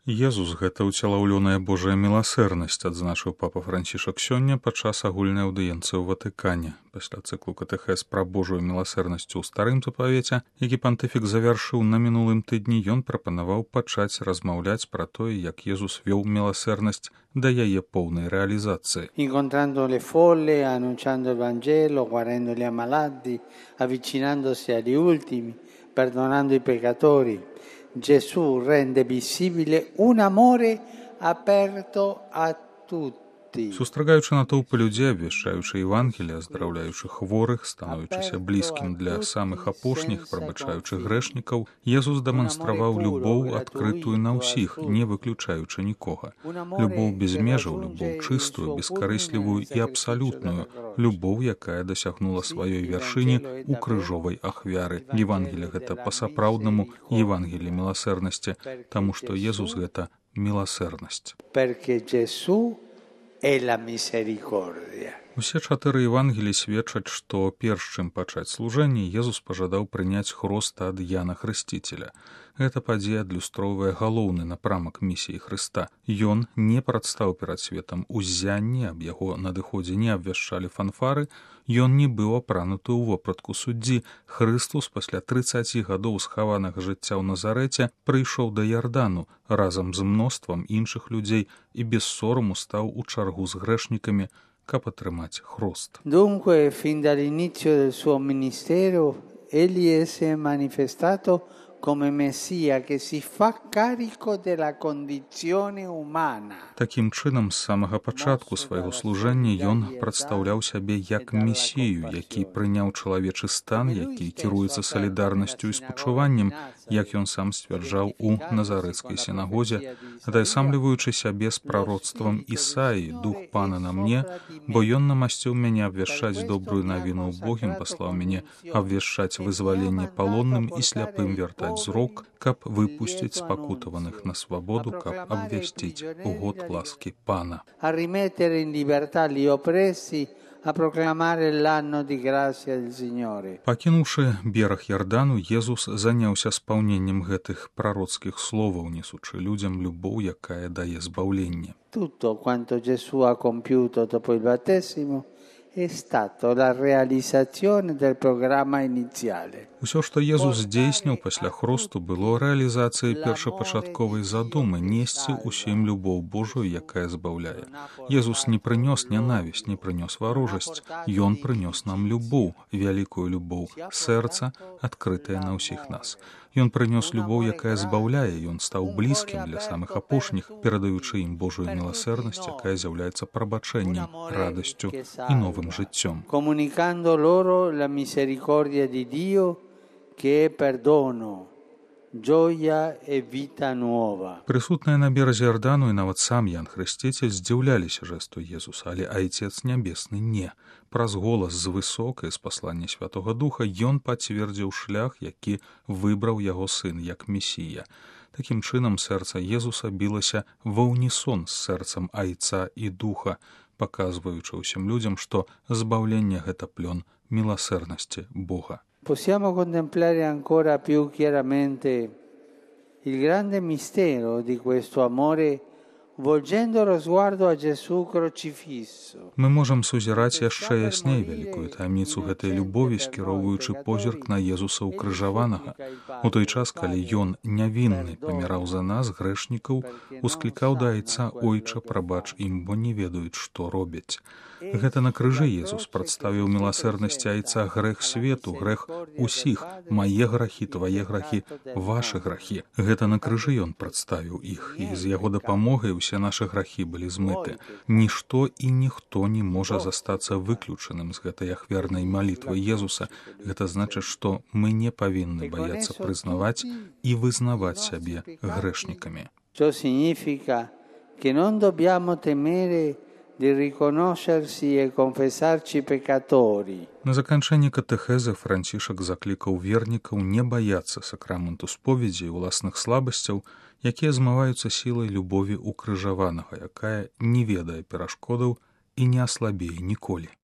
Езус — гэта ўцелаўлёная Божая міласэрнасць, адзначыў папа Францішак сёння падчас агульнай аўдыенцыі ў Ватыкане. Пасля цыклу катэхез пра Божую міласэрнасць у старым запавеце, які пантыфік завяршыў на мінулым тыдні, ён прапанаваў пачаць размаўляць пра тое, як Езус вёў міласэрнасць да яе поўнай рэалізацыі. Incontrando le folle, annunciando il Vangelo, guarendo gli ammalati, avvicinandosi agli ultimi, perdonando i peccatori. Gesù rende visibile un amore aperto a tutti. Сустрагаючы натоўпы людзей, абвяшчаючы Евангелие, аздараўляючы хворых, становячыся блізкім для самых апошніх, прабачаючы грэшнікаў, Езус дэманстраваў любоў, адкрытую на ўсіх, не выключаючы нікога. Любоў без межаў, любоў чыстую, бескарыслівую і абсалютную, любоў, якая дасягнула сваёй вяршыні ў крыжовай ахвяры. Евангелие гэта па-сапраўднаму Евангелие міласэрнасці, таму што Езус гэта міласэрнасць. Усе 4 Евангелі сведчаць, што перш чым пачаць служэнне, Езус пажадаў прыняць хроста ад Яна Хрысціцеля. Гэта падзея адлюстроўвае галоўны напрамак місіі Хрыста. Ён не прадстаў перад светам уззянне, аб яго надыходзе не абвяшчалі фанфары, ён не быў апрануты ў вопратку суддзі. Хрыстус пасля 30 гадоў схаванага жыцця ў Назарэце прыйшоў да Ярдану разам з мноствам іншых людзей і без сораму стаў у чаргу з грэшнікамі, каб атрымаць хрост. Dunque, fin dall'inizio del suo ministero, egli si è manifestato come Messia che si fa carico della condizione umana. Такім чынам, з самага пачатку свайго служэння ён прадстаўляў сябе як месію, які прыняў чалавечы стан, які кіруецца салідарнасцю і спачуваннем, як ён сам сцвярджаў у Назарэцкай сінагозе, атаясамліваючы сябе з прароцтвам Ісаі: «Дух Пана на мне, бо ён намасціў мяне абвяшчаць добрую навіну убогім, паслаў мяне абвяшчаць вызваленне палонным і сляпым вяртаць зрок, каб выпусціць спакутаваных на свабоду, каб абвясціць год ласкі Пана». A rimettere in libertà gli oppressi, a proclamare l'anno di grazia del Signore. Пакінуўшы бераг Ярдану, Езус заняўся спаўненнем гэтых прароцкіх словаў, несучы людзям любоў, якая дае збаўленне. Tutto quanto Gesù ha compiuto dopo il battesimo è stato la realizzazione del programma iniziale. Усё, што Езус здзейсніў пасля хросту, было рэалізацыяй першапачатковай задумы несці ўсім любоў Божую, якая збаўляе. Езус не прынёс нянавісць, не прынёс варожасць. Ён прынёс нам любоў, вялікую любоў, сэрца, адкрытае на ўсіх нас. Ён прынёс любоў, якая збаўляе, ён стаў блізкім для самых апошніх, перадаючы ім Божую міласэрнасць, якая з'яўляецца прабачэннем, радасцю і новым жыццём. Comunicando loro la misericordia di Dio che è perdono, gioia e vita nuova. Прысутныя на беразе Ярдану і нават сам Ян Хрысціцель здзіўляліся жэсту Езуса, але Айцец Нябесны не. Праз голас з высокай, з паслання Святога Духа, ён пацвердзіў шлях, які выбраў яго сын як месія. Такім чынам, сэрца Езуса білася ва ўнісон з сэрцам Айца і Духа, паказваючы ўсім людзям, што збаўленне гэта плён міласэрнасці Бога. Possiamo contemplare ancora più chiaramente il grande mistero di questo amore volgendo lo sguardo a Gesù crocifisso. Мы можам сузіраць яшчэ ясней вялікую таямніцу гэтай любові, скіроўваючы позірк на Езуса ўкрыжаванага. У той час, калі ён нявінны паміраў за нас, грэшнікаў, усклікаў да Айца: «Ойча, прабач ім, бо не ведаюць, што робяць». Гэта на крыжы Езус прадставіў міласэрнасці Айца грэх свету, грэх усіх, мае грахі, твае грахі, вашы грахі. Гэта на крыжы ён прадставіў іх, і з яго дапамогай усе нашы грахі былі змыты. Нішто і ніхто не можа застацца выключаным з гэтай ахвярнай малітвы Езуса. Гэта значыць, што мы не павінны баяцца прызнаваць і вызнаваць сябе грэшнікамі. Ciò significa che non dobbiamo temere di riconoscersi e confessarci peccatori. На заканчэнні катэхезы Францішак заклікаў вернікаў не баяцца сакраменту споведзі і ўласных слабасцяў, якія змываюцца сілай любові укрыжаванага, якая не ведае перашкодаў і не аслабее ніколі.